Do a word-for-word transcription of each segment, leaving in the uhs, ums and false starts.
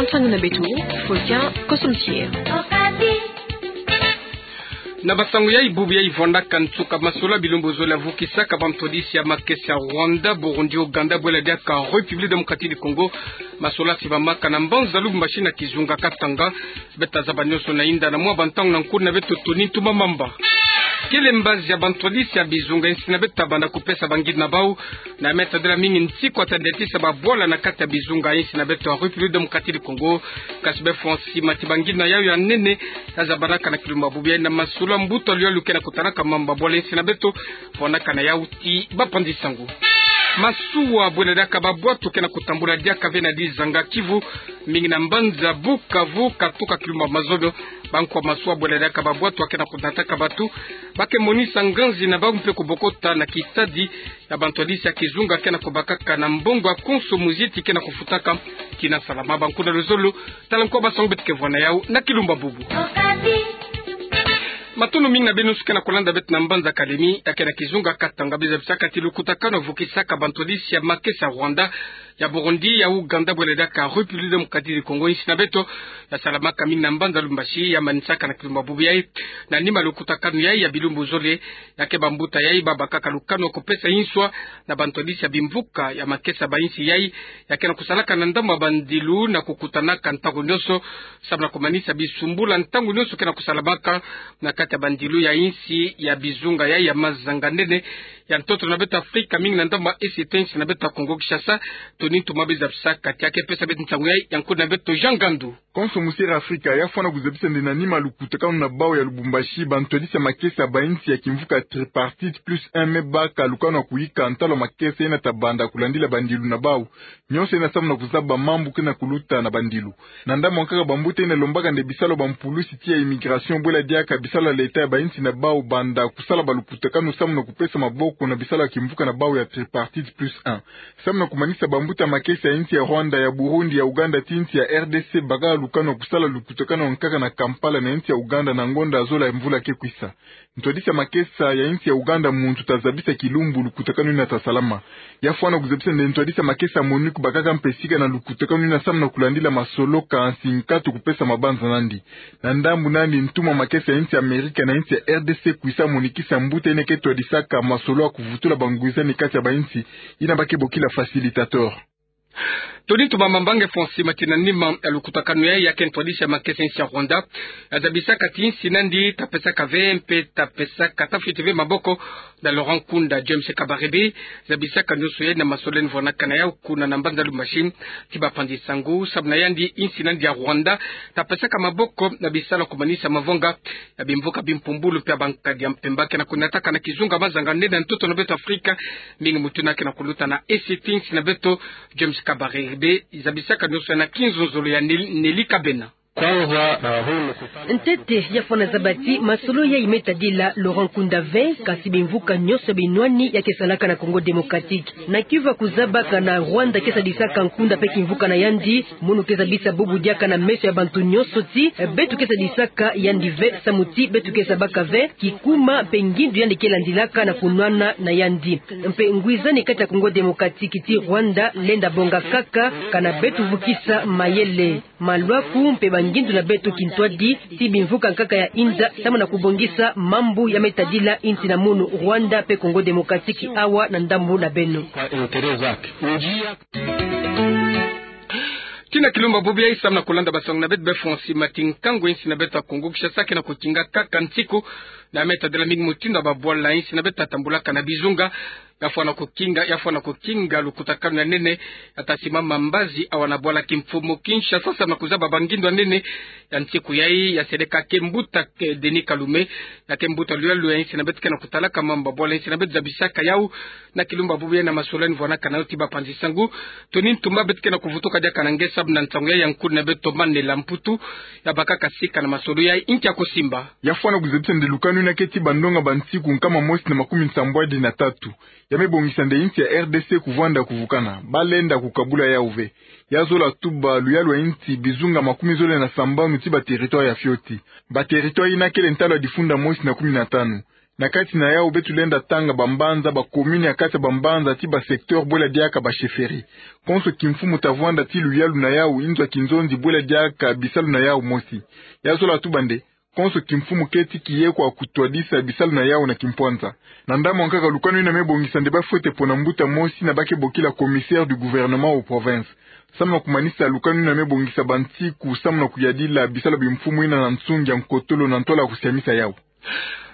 Nsangu na beto, Faustin Kosomtier. Na basangu yayi, bubu yayi vwandaka nsuka masolo ya bilumbu zole ya vukisaka bantwadisi ya makesa ya Rwanda, Burundi, Ouganda, bwela diaka République Démocratique du Congo. Masolo ya sibamaka na mbanza Lubumbashi na kizunga Katanga. Beta zaba nioso na inda na mwa bantangu na nkuna beto Tony Ntumba Mamba. Kele mbazi ya bantwadisi ya bizunga ya insi na beto ta banda kupesa bangindu na bau, na meta dela mingi nsiku ya ta ndiatisa babwala na kati ya bizunga ya insi na beto ya République Démocratique du Congo. Kasi befwa nsima ti bangindu na yau ya nene, ya zabanaka na kilumbu ya bubu yayi na masolo ya mbuta luyalukena kutanaka mamba bwala ya insi na beto, vwandaka na yau ti bapanzi sangu. Masuwa bwela diaka babwatu kena kutambula diaka ve na dizanga Kivu, mingi na mbanza Bukavu, katuka kilumbu ya mazono. Bankwa masuwa bwela diaka babwatu kena kunataka bato, ba ke monisa nganzi na bau mpe kubokota na kistadi ya bantwadisi ya kizunga kena kubakaka na mbongo ya konso muziti kena kufutaka. Kina salama bankuna luzolo. Tala nkwa basangu beto ke vwa na yau na kilumbu ya bubu. Matondo mingi na beno nyonso kena kulanda beto na mbanza Kalemi, ya kena kizunga Katanga. Beno zabisaka ti lukutakanu ya vukisaka bantwadisi ya makesa ya Rwanda, ya Burundi, ya Ouganda, bwela diaka République Démocratique du Congo ya insi na beto, ya salamaka mingi na mbanza Lubumbashi, ya manisaka na kilumbu ya bubu yayi na nima lukutakanu yayi ya bilumbu zole. Ya ke bambuta yayi babakaka lukanu ya kupesa inswa na bantwadisi ya bimvuka ya makesa ya bainsi yayi, ya kena kusalaka na ndambu ya bandilu na kukutanaka ntangu nioso, samu na kumanisa bisumbula ntangu nioso kena kusalamaka na kati ya bandilu ya insi ya bizunga yayi ya mazanga nene ya ntoto na beto Afrika, mingi na ndambu ya Est ya insi na beto ya Congo Kinshasa. Tony Ntumba, beno zabisaka ti ya ke pesa beto nsangu yayi, ya nkuna beto Jean Gandu. Konso musi ya Afrika ya fwana kuzabisa nde na nima lukutakanu na bau ya Lubumbashi, bantwadisi ya makesa ya bainsi ya kimvuka tripartite plus un me baka lukanu ya kuyika ntalu ya makesa yena ta banda kulandila bandilu na bau nionso yena samu na kuzaba mambu kena kuluta na bandilu. Na ndambu ya nkaka, bambuta yena lombaka nde bisalu ya bampulusi ti ya immigration bwela diaka bisalu ya leta ya bainsi na bau banda kusala balukutakanu samu na kupesa maboko na bisalu ya kimvuka na bau ya tripartite plus un, samu na kumanisa bambuta makesa ya insi ya Rwanda, ya Burundi, ya Ouganda ti insi ya R D C baka lukanu ya kusala lukutakanu ya nkaka na Kampala na insi ya Ouganda na ngonda ya zola ya mvula ke kwisa. Ntwadisi ya makesa ya insi ya Ouganda muntu ta zabisa kilumbu lukutakanu yina ta salama. Ya fwana kuzabisa nde ntwadisi ya makesa ya MONUC bakaka mpe sika na lukutakanu yina samu na kulandila masolo kansi nkatu kupesa mabanza nandi. Na ndambu nandi, ntumwa makesa ya insi ya Amerika na insi ya R D C kwisa monikisa mbuta yina ke twadisaka masolo ya kuvutula bangwizani kati ya bainsi yina ba ke bokila facilitateur. Tony Ntumba Mamba, nge fwa nsima ti na nima ya lukutakanu yayi, ya ke ntwadisi ya makesa ya insi ya Rwanda, ya zabisaka ti insi nandi ta pesaka ve mpe ta pesaka, ta fweti ve maboko na Laurent Nkunda, James Kabarebe. Zabisaka nionso yayi na masolo yandi vwanakana yau kuna na mbanza Lubumbashi ti bapanzi sangu, samu na yandi insi nandi ya Rwanda ta pesaka maboko na bisalu ya kumanisa mavanga ya bimvuka bimpumbulu mpe ya bankadi ya mpemba kena kunataka na kizunga mazanga nene ya ntoto na beto Afrika. Mingi mutu yina kena kuluta na Est ya insi na beto, James Kabarebe. Zabisaka nionso yayi na kinzonzolo ya Nel-, Nelly Kabena. Ntete, ya fwana zaba ti masolo yayi me tadila Laurent Nkunda ve, kasi bimvuka nionso binwani ya ke salaka na Congo Démocratique. Na Kivu ya kuzabaka na Rwanda ke sadisaka nkunda mpe kimvuka na yandi, mono ke zabisa bubu diaka na meso ya bantu nionso ti beto ke sadisaka yandi ve, samu ti beto ke zabaka ve kikuma mpe ngindu yandi ke landilaka na kunwana na yandi. Mpe ngwizani kati ya Congo Démocratique ti Rwanda lenda bonga kaka, kana beto vukisa mayele, malwaku mpe bangindu na beto kintwadi ti bimvuka nkaka ya inza, samu na kubongisa mambu ya me tadila insi na munu Rwanda mpe Congo Démocratique awa na ndambu na beno. Kina kilumbu ya bubu yayi, samu na kulanda basangu na beto, be fwa nsima ti nkangu ya insi na beto ya Congo Kinshasa kena kukinga kaka nsiku, na me tadila mingi mutindu ya babwala ya insi na beto ta tambulaka na bizunga. Ya fwana kukinga, ya fwana kukinga lukutakanu ya nene ya ta simama mbazi awa na bwala kimfumu Kinshasa, samu na kuzaba bangindu ya nene ya nsiku yayi, ya seleka ke mbuta ke Denis Kalume, ya ke mbuta luyalo ya insi na beto kena kutalaka mamba bwala ya insi na beto, zabisaka yau na kilumbu ya bubu yayi na masolo yandi vwanakana yau ti bapanzi sangu. Tony Ntumba, beto kena kuvutuka diaka na nge samu na nsangu yayi, ya nkuna beto Mandela Mputu, ya bakaka sika na masolo yayi, nki ya kusimba. Ya fwana kuzabisa nde lukanu yina ke ti bandonga ba nsiku nkama mosi na makumi nsambwadi na tatu, ya me bongisa nde insi ya R D C kuvwanda kuvukana, ba lenda kukabula yau ve. Ya zola tuba luyalo ya insi bizunga makumi zole na sambanu ti ba territoire ya fioti. Ba territoire yina kele ntalu ya difunda mosi na kumi na tanu. Na kati na yau beto lenda tanga bambanza, bacommune ya kati ya bambanza ti basecteur bwela diaka bachefferie. Konso kimfumu ta vwanda ti luyalu na yau, inzo ya kinzonzi bwela diaka bisalu na yau mosi. Ya zola tuba nde, konso kimfumu keti kiye kwa kutwadisa bisalu na yau na kimpwanza. Na ndambu ankaka lukanu yina me bongisa nde bafwete pona mbuta mosi yina ba ke bokila commissaire du gouvernement aux provinces. Samu na kumanisa lukanu yina me bongisa bansiku samu na kuyadila bisalu bimfumu yina na nsungi ya nkotolo na ntwala kusiamisa yau.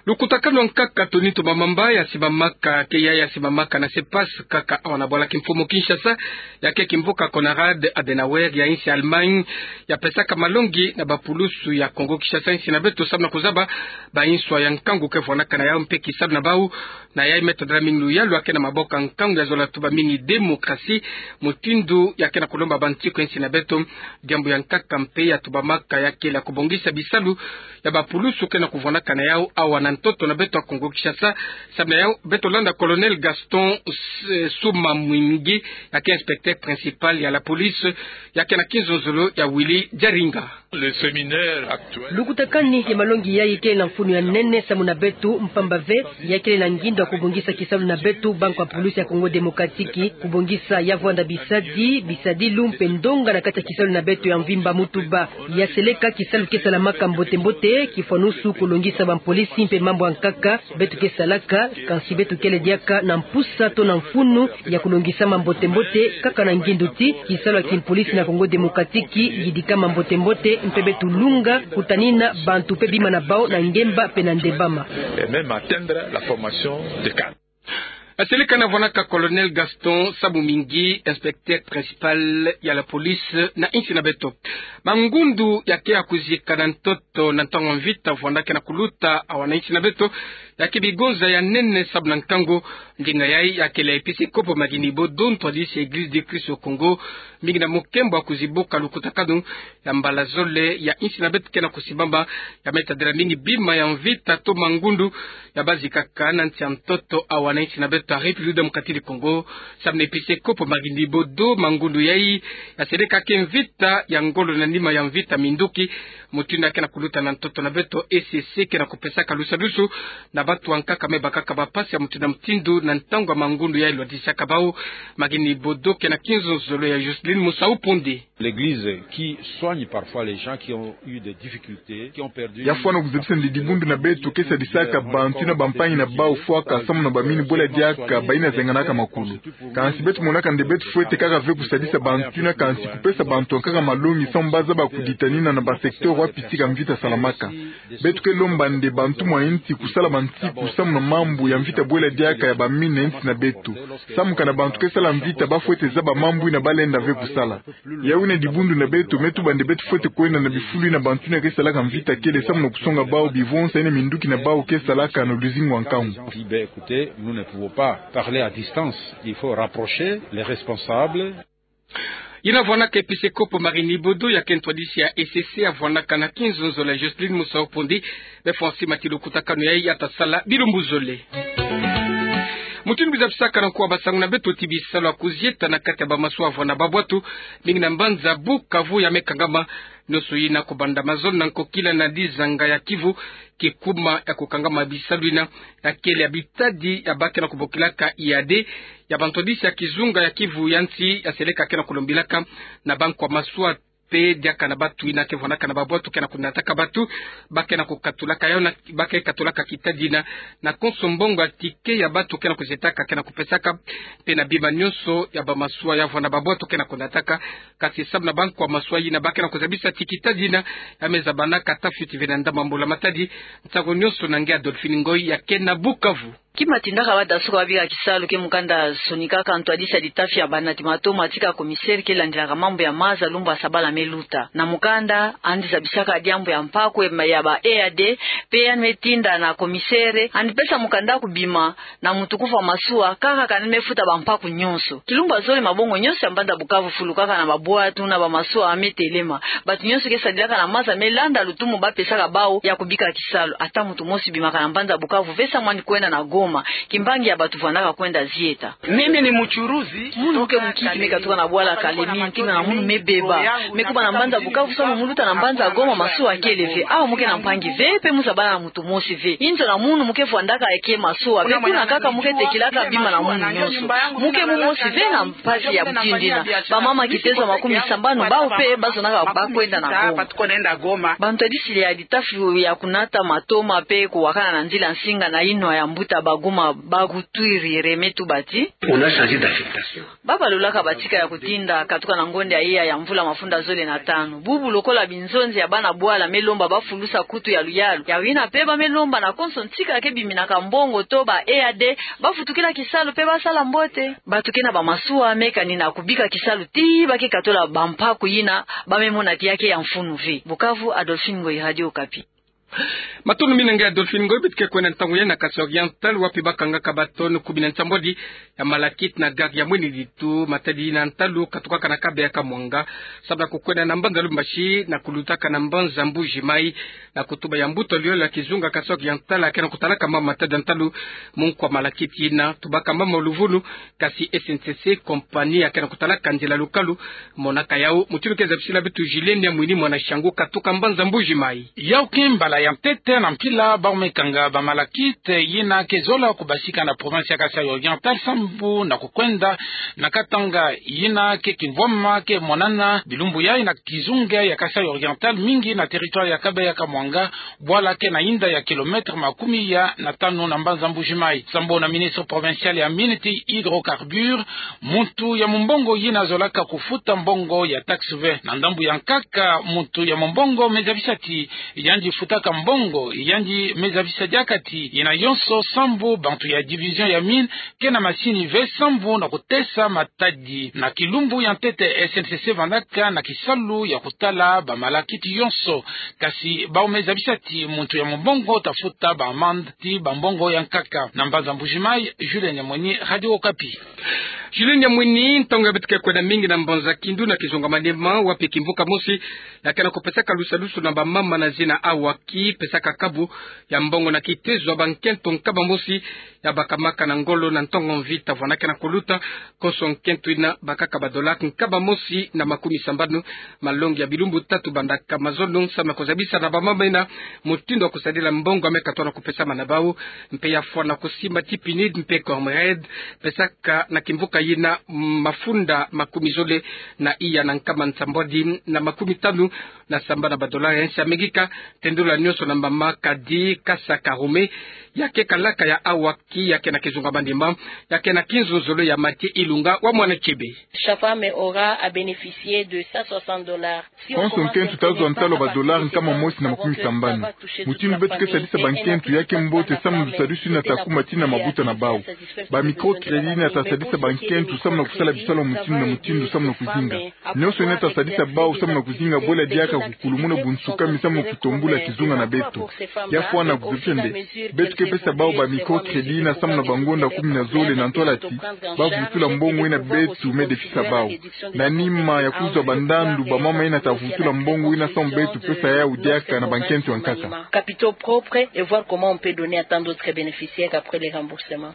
Lukutakanu ankaka Tony Tumba Mamba ya simamaka, ke ya ya simamaka na CEPAS kaka awa na bwala kimfumu Kinshasa, ya ke kimbuka Konrad Adenauer ya insi Allemagne, ya pesaka malongi na bapulusu ya Kongo Kinshasa, insi na beto, samu na kuzaba banswa ya nkangu ke vwanaka na yau mpe kisalu na bau. Na yai me tadala mingi luyalu ya ke na maboko ya nkangu, ya zola tuba mingi démocratie, mutindu ya ke na kulomba bansiku ya insi na beto. Diambu ya nkaka mpe ya tubamaka ya kele ya kubongisa bisalu ya bapulusu ke na kuvwanaka na yau awa na ntoto na beto ya Kongo Kinshasa. Samu na yau beto landa Colonel Gaston S-, Suma Mwingi, ya ke inspecteur principal ya la police, ya ke na kinzonzolo ya Willy Diaringa. Le séminaire actuel. Lukutakanu ya malongi yai kele na mfunu ya nene samu na beto, mpamba ve ya kele na ngindu ya kubongisa kisalu na beto, bankwa pulusu ya Congo Démocratique, kubongisa ya vwanda bisadi, bisadilu mpe ndonga na kati ya kisalu na beto ya mvimba mutuba. Ya seleka kisalu ke salamaka mbote-mbote, kifwanusu kulongisa bapolisi mpe mambu ankaka beto ke salaka, kansi beto kele diaka na mpusa to na mfunu ya kulongisa mambote-mbote, kaka na ngindu ti kisalu ya kimpolisi na Congo Démocratique yidikama mbote-mbote, mpe beto lunga kutanina bantu mpe bima na bau na ngemba mpe na ndembama. Et même atteindre la formation des cadres. Ya seleka na vwanaka Colonel Gaston Suma Mwingi, inspecteur principal ya la police na insi na beto. Mangundu ya ke ya kuzika na ntoto na ntangu ya mvita vwanda ke na kuluta awa na insi na beto, ya ke bigonza ya nene samu na nkangu. Ndinga yai ya kele ya episkopo Marc Nibodo, ntwadisi ya Église de Christ au Congo, mingi na mukembo ya kuzibuka lukutakanu ya mbala zole ya insi na beto ke na kusimbama, ya me tadila mingi bima ya mvita to mangundu ya bazikaka na nsi ya ntoto awa na insi na beto ya République démocratique du Congo. Samu na episkopo Marc Nibodo, mangundu yai ya seleka ke mvita ya ngolo na nima ya mvita minduki, mutindu ya ke na kuluta na ntoto na beto. E C C ke na kupesaka lusadusu na bantu ankaka me bakaka bampasi ya mutindu na mutindu na ntangu ya mangundu yai, lwadisaka bau. Marc Nibodo ke na kinzonzolo ya Jocelyne Musau Ponde. L'Église qui soigne parfois les gens qui ont eu des difficultés, qui ont perdu. Ya fwana kuzabisa nde dibundu na beto ke sadisaka bantu yina bampangi na bau fwaka samu na bamini bwela diaka bayina zenganaka makulu. Kansi beto monaka nde beto fwete kaka ve kusadisa bantu yina, kansi kupesa bantu ankaka malongi samu bazaba kuditanina na basecteur wapi tika mvita salamaka. Beto ke lomba nde bantu mwa insi kusala bansiku samu na mambu ya mvita bwela diaka ya bamini na insi na beto. Samu kana bantu ke sala mvita bafwete zaba mambu yina balenda ve kusala. Yawina dibundu na beto, me tuba nde beto fwete kwenda na bifulu yina bantu yina ke salaka mvita kele samu na kusonga bau bivonsa yina minduki na bau ke salaka na luzingu wa nkangu. Dit, ben, écoutez, nous ne pouvons pas parler à distance. Il faut rapprocher les responsables. Yina vwanaka episkopo Marc Nibodo, ya ke ntwadisi ya E C C, ya vwanaka na kinzonzolo ya Jocelyne Musau Ponde. Be Francis Matilu, lukutakanu yai ya ta sala bilumbu zole. Mutindu kizabisaka na nkuwa basangu na beto ti bisalu ya kuzieta na kati ya bamasuwa ya vwanda babwatu, mingi na mbanza Bukavu, ya me kangama. Nionso yina, kubanda mazono na nkokila na dizanga ya Kivu, kikuma ya kukangama bisalu yina, ya kele ya bitadi ya ba ke na kubokilaka I A D, ya bantwadisi ya kizunga ya Kivu ya nsi, ya seleka ke na kulombilaka na bankwa masuwa mpe diaka na bantu yina ke vwanaka na babwatu ke na kunataka bantu, ba ke na kukatulaka yawu na, ba ke katulaka kitadi yina na konso mbongo ya ticket ya bantu ke na kuzietaka ke na kupesaka, mpe na bima nionso ya bamasuwa ya vwanda babwatu ke na kunataka. Kasi samu na bankwa masuwa yina, ba ke na kuzabisa ti kitadi yina ya me zabanaka ata fioti ve na ndambu ya mbula matadi. Nsangu nionso na nge Adolphine Ngoy ya ke na Bukavu. Kima tindaka badasuka babika kisalu ke mukanda sonikaka ntwadisi ya litafi ya banati matoma tika commissaire ke landilaka mambu ya maza lumbu ya sabala me luta. Na mukanda, yandi zabisaka diambu ya mpaku ya ba E A D, mpe yandi me tinda na commissaire yandi pesa mukanda ya kubima na mutukufu ya masuwa, kaka kana me futa bampaku nionso. Kilumbu ya zole, mabongo nionso ya mbanza Bukavu fulukaka na babwatu na bamasuwa me telema. Bantu nionso ke sadilaka na maza me landa lutumu ba pesaka bawu ya kubika kisalu. Ata muntu mosi bimaka na mbanza Bukavu ve samu yandi kwenda na Goma. Kimbangi ya bato vwandaka kwenda zieta. Mimi ni mchuruzi. Munu muke mukiki me katuka na bwala Kalemi, nkinga na munu me beba. Me kuba na mbanza Bukavu samu mu luta na mbanza Goma, masuwa kele ve. Awa muke na mpangi ve, mpe mu zabala na moto mosi ve. Inzo na munu muke vwandaka eke masuwa, mpe kuna kaka muke tekilaka bima na munu nyonso. Muke mu mosi ve na mpasi ya mutindu yina. Bamama kitezo makumi sambanu, bawu mpe bazonaka bakwenda na Goma. Bantwadisi ya litafi ya kunata matoma mpe kuwakana na nzila nsinga na yinwa ya mbuta Baguma bakutwiri Reme Tuba ti: On a changé d'affectation. Babalulaka batika ya kutinda katuka na ngonda ya iya ya mvula mafunda zole na tanu. Bubu lokola binzonzi ya bana bwala me lomba bafulusa kutu ya luyalu. Yawu yina mpe ba me lomba na konso ntika ke biminaka mbongo to ba E A D, bavutukila kisalu mpe basala mbote. Bato ke na bamasuwa me kani na kubika kisalu ti ba ke katola bampaku yina ba me mona ti ya ke ya mfunu ve. Bukavu, Adolphine Ngoyi, Radio Okapi. Matondo mingi na nge Adolphine Ngoyi. Beto ke kwenda ntangu ya na Kasai Oriental, wapi bakangaka ba tonnes kumi na nsambwadi ya malakite na gare ya Mwini Ditu, matadi na ntalu katukaka na kabeya ka Mwanga, samu na kukwenda na mbanza Lubumbashi na kulutaka na mbanza Mbuji Mayi. Na kutuba ya mbuta luyalu ya kizunga Kasai Oriental, ya ke na kutalaka mama matadi ya ntalu mu nkwa malakite yina, tubaka mama luvunu, kasi S N C C, compagnie ya ke na kutalaka nzila lukalu, monaka yawu. Mutindu ke zabisila beto Julien Niamwini, mwana Shangu, katuka mbanza Mbuji Mayi. Yawu ke mbala ya ntete na mpila bawu me kanga ba malakite yina ke zola kubasika na province ya Kasai Oriental sambu na kukwenda na Katanga, yina ke kimvwama ke monana bilumbu yayi na kizunga ya Kasai Oriental, mingi na territoire ya kabeya ka Mwanga, bwala ke na inda ya kilomètre makumi ya na tanu na mbanza Mbuji Mayi. Sambu na ministre provincial ya mines ti hydrocarbures, muntu ya mumbongo yina zolaka kufuta mbongo ya taxe ve. Na ndambu ya nkaka, muntu ya mumbongo me zabisa ti yandi futaka mbongo, yandi me zabisa diaka ti yina yonso sambu bantu ya division ya mines ke na masini ve sambu na kutesa matadi. Na kilumbu ya ntete, S N C C vandaka na kisalu ya kutala ba malakite yonso, kasi bawu me zabisa ti muntu ya mumbongo ta futa ba amende ti ba mbongo ya nkaka. Na mbanza Mbuji Mayi, Julien Niamwini, Radio Okapi. Julien Niamwini, ntangu ya beto ke kwenda mingi na mbanza Kindu na kizunga Maniema, wapi kimvuka mosi ya ke na kupesaka lusadusu na bamama na zina Awaki, pesaka kabu ya mbongo na kitezo ya bankento nkama mosi ya bakamaka na ngolo na ntongo mvita. Vwanda ke na kuluta konso nkento yina bakaka ba dollars nkama mosi na makumi sambanu, malongi ya bilumbu tatu banda nkama zono, samu na kuzabisa na bamama yina mutindu ya kusadila mbongo ya me katuka na kupesama na bawu, mpe ya fwana kusimba ti PNUD mpe Comred, pesaka na kimvuka yina mafunda makumi zole na iya na nkama nsambwadi na makumi tanu na sambanu ba dollars ya nsi Amerika. Tendula nyonso na mama Kadi Kasa Karume, ya ke kalaka ya Awaki, ya ke na kizunga Maniema, ya ke na kinzonzolo ya Mathieu Ilunga wa Mwana Kiebe. Chaque femme aura à bénéficier de cent soixante dollars. Konso nkento ta zwa ntalu ba dollars nkama mosi na makumi sambanu. Mutindu beto ke sadisa bankento ya ke mbote samu lusadusu yina ta kuma tii na mabuta na bawu. Ba microcrédit yina ta sadisa bankento samu na kusala bisalu mutindu na mutindu samu na kuzinga. Nyonso yina ta sadisa bawu samu na kuzinga bwela diaka kukulumuna bunsukami samu na kutombula kizunga na beto. Ya fwana kuzabisa nde beto ke pesa bawu ba microcrédit yina samu na bangonda kumi na zole na ntwala ti ba vutula mbongo yina beto me defisa bawu. Na nima ya kuzwa bandandu, bamama yina ta vutula mbongo yina samu beto pesa yawu diaka na bankento ya nkaka. Capitaux propres et voir comment on peut donner à tant d'autres bénéficiaires après les remboursements.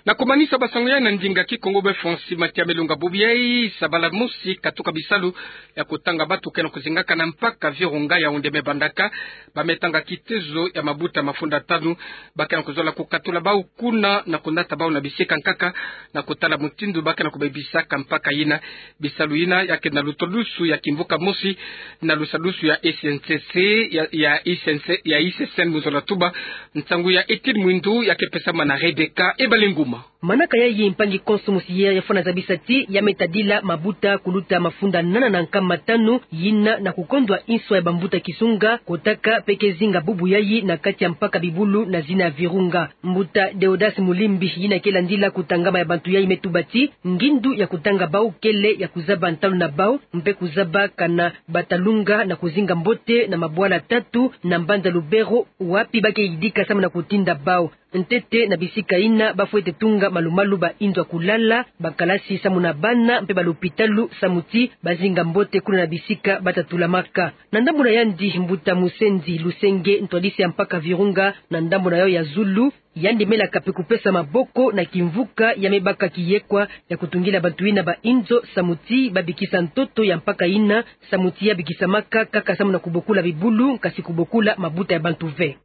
Na kumanisa basango yayi na ndinga Kikongo, be Francis Matiame Lunga bubu yayi, sabala mosi katuka bisalu ya kutanga bato ke na kuzingaka na mpaka Virunga, Yaoundé me bandaka. Ba me tanga kitezo ya mabuta mafunda tanu, ba ke na kuzola kukatula bawu kuna na kunata bawu na bisika nkaka, na kutala mutindu ba ke na kubebisaka mpaka yina. Bisalu yina ya ke na lutulusu ya kimvuka mosi na lusadusu ya S N C C, ya, ya S N C, ya S N C C mu zola tuba. Nsangu ya Étienne Mwindu ya ke pesama na Rebecca Ebalenguma. Manaka yayi mpangi konso mosi ya, ya fwana zabisa ti ya me tadila mabuta kuluta mafunda nana na nkama tanu yina na kukondwa inswa ya bambuta kizunga kotaka mpe ke zinga bubu yayi na kati ya mpaka bibulu na zina ya Virunga. Mbuta Deodas Mulimbi, yina ke landila kutangama ya bantu yayi, me tuba ti ngindu ya kutanga bawu kele ya kuzaba ntalu na bawu, mpe kuzaba kana ba ta lunga na kuzinga mbote na mabwala tatu na mbanza Lubero, wapi ba ke yidika samu na kutinda bawu. Ntete na bisika yina ba fwete tunga malu-malu ba inzo ya kulala, ba kalasi samu na bana, mpe ba lopitalu samu ti ba zinga mbote kuna na bisika ba ta tulamaka. Na ndambu na yandi, mbuta Musenzi Lusenge, ntwadisi ya mpaka Virunga, na ndambu na yawu ya zulu, Yandi melaka mpe kupesa maboko na kimvuka ya mebaka kiyekwa ya kutungila bantu yina ba inzo, samu ti babikisa ntoto ya mpaka yina, samu ti ya bikisamaka kaka samu na kubokula bibulu, kasi kubokula mabuta ya bantu ve.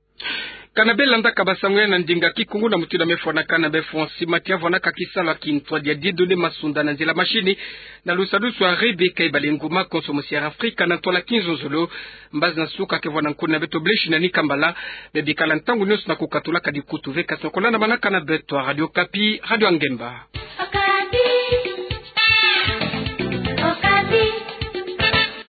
Kana belandaka basango ya na ndinga Kikongo na mutindu mefwanaka na befwa nsi, mati ya vwanaka kisalu ya kintwadi ya didonnées masunda na nzila mashini, na lusadusu ya Rebecca Ibalenguma, konso mosi ya Afrika na ntwala kinzonzolo. Mbazi na suka ke vwa na nkoni na beto bleshi na ni kambala, bebikala ntangu nionso na kukatulaka dikutu ve, kasi na kolanda manaka na beto ya Radio Okapi, Radio ya Ngemba.